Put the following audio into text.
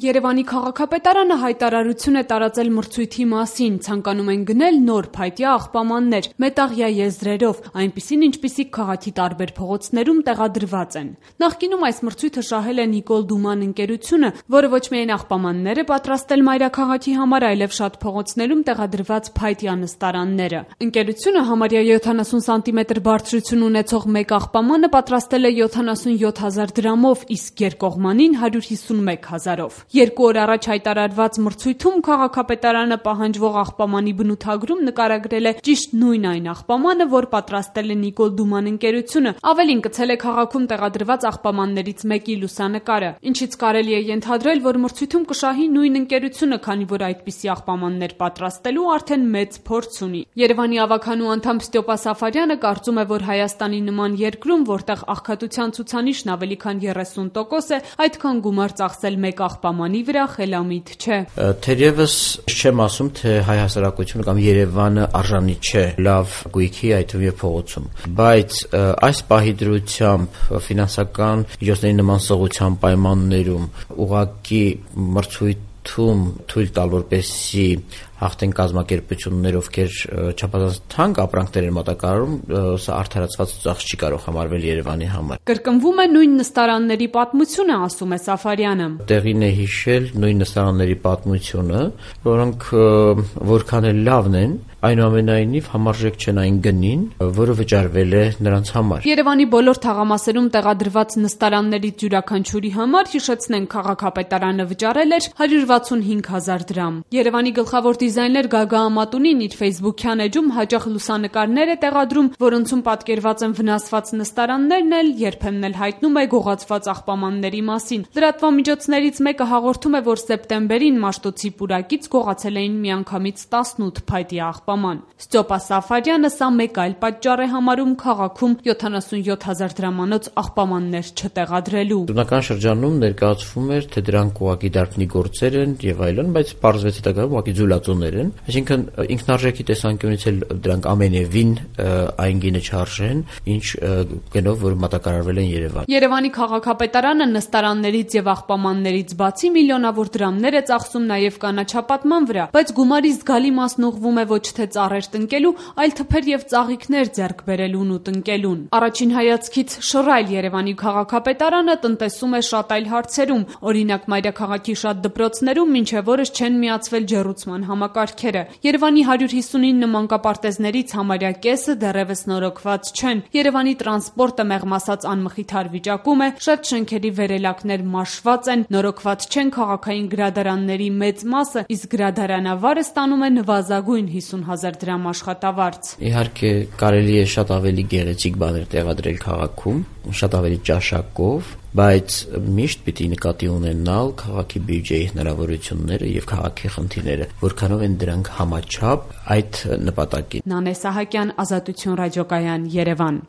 Երևանի քաղաքապետարանը հայտարարություն է տարածել մրցույթի մասին, ցանկանում են գնել նոր փայտյա աղբամաններ, մետաղյա եզրերով, այնպիսին ինչպիսիք քաղաքի տարբեր փողոցներում տեղադրված են։ Նախկինում այս մրցույթը շահել է Նիկոլ Դուման ընկերությունը, որը ոչ միայն աղբամաններ է պատրաստել մայրաքաղաքի համար, այլև շատ փողոցներում տեղադրված փայտյա նստարանները։ Ընկերությունը համարյա 70 սանտիմետր բարձրություն ունեցող մեկ աղբամանը պատրաստել է 77,000 դրամով, իսկ երկկողմանին 151,000-ով։ 2 օր առաջ հայտարարված մրցույթում քաղաքապետարանը պահանջվող աղբամանի բնութագրում նկարագրել է ճիշտ նույն այն աղբամանը, որ պատրաստել է Նիկոլ Դուման ընկերությունը, ավելին կցել է քաղաքում տեղադրված աղբամաններից մեկի լուսանկարը, ինչից կարելի է ենթադրել, որ մրցույթում կշահի նույն ընկերությունը, քանի որ այդպիսի աղբամաններ պատրաստելու արդեն մեծ փորձ ունի։ Երևանի ավագանու անդամ Ստյոպա Սաֆարյանը կարծում է, որ Հայաստանի նման երկրում, որտեղ աղքատության ցուցանիշն ավելի քան 30% է, այդքան գումար ծախսել մեկ աղբամանի վրա խելամիտ չէ։ Թերևս չեմ ասում, թե հայ հասարակությունը կամ Երևանը արժանի չէ լավ գույքի, այդ թվում եւ փողոցում, բայց այս պահի դրությամբ ֆինանսական միջոցների նման սղության պայմաններում ուղղակի մրցույթում թույլ տալ, որպեսզի հաղթեն կազմակերպություններ, ովքեր չափազանց թանկ ապրանքներ են մատակարարում, սա արդարացված ծախս չի կարող համարվել Երևանի համար։ Կրկնվում է նույն նստարանների պատմությունը, ասում է Սաֆարյանը։ Տեղին է հիշել նույն նստարանների պատմությունը, որոնք որքան էլ լավն են, այնուամենայնիվ համարժեք չեն այն գնին, որը վճարվել է նրանց համար։ Երևանի բոլոր թաղամասերում տեղադրված նստարաններից յուրաքանչյուրի համար, հիշեցնենք, քաղաքապետարանը վճարել էր 165,000 դրամ։ Երևանի գլխավոր դիզայներ Գագա Ամատունին իր Facebook-յան էջում հաճախ լուսանկարներ է տեղադրում, որոնցում պատկերված են վնասված նստարաններն էլ, երբեմն էլ հայտնում է գողացված աղբամանների մասին։ Լրատվամիջոցներից մեկը հաղորդում է, որ սեպտեմբերին Մաշտոցի պուրակից գողացել էին միանգամից 18 փայտյա աղբաման։ Ստյոպա Սաֆարյանը սա մեկ այլ պատճառ է համարում քաղաքում 77,000 դրամանոց աղբամաններ չտեղադրելու։ Տոնական շրջանում ներկայացվում էր, թե դրանք ուղղակի դարբնի գործեր են եւ այլն, բայց պարզվեց հետագայում ուղղակի ձուլածոներ են, այսինքն ինքնարժեքի տեսանկյունից էլ դրանք ամենևին այն գինը չարժեն, ինչ գնով որ մատակարարվել են Երևան։ Երևանի քաղաքապետարանը նստարաններից եւ աղբամաններից բացի միլիոնավոր դրամներ է ծախսում նաեւ կանաչապատման վրա, բայց գումարի զգալի մասն ուղղվում է ոչ թե ծառեր տնկելու, այլ թփեր եւ ծաղիկներ ձեռք բերելուն ու տնկելուն։ Առաջին հայացքից շռայլ Երևանի քաղաքապետարանը տնտեսում է շատ այլ հարցերում, օրինակ մայրաքաղաքի շատ դպրոցներում մինչեւ օրս չեն միացվել ջեռուցման համակարգերը։ Երևանի 159 մանկապարտեզներից համարյա կեսը դեռևս նորոգված չեն։ Երևանի տրանսպորտը մեղմ ասած անմխիթար վիճակում է, շատ շենքերի վերելակներ մաշված են, նորոգված չեն քաղաքային գրադարանների մեծ մասը, իսկ գրադարանավարը ստանում է նվազագույն 50,000 դրամ աշխատավարձ։ Իհարկե կարելի է շատ ավելի գեղեցիկ բաներ տեղադրել քաղաքում, շատ ավելի ճաշակով, բայց միշտ պիտի նկատի ունենալ քաղաքի բյուջեի հնարավորությունները եւ քաղաքի խնդիրները, որքանով են դրանք համաչափ այդ նպատակին։ Նանե Սահակյան, Ազատություն ռադիոկայան, Երևան։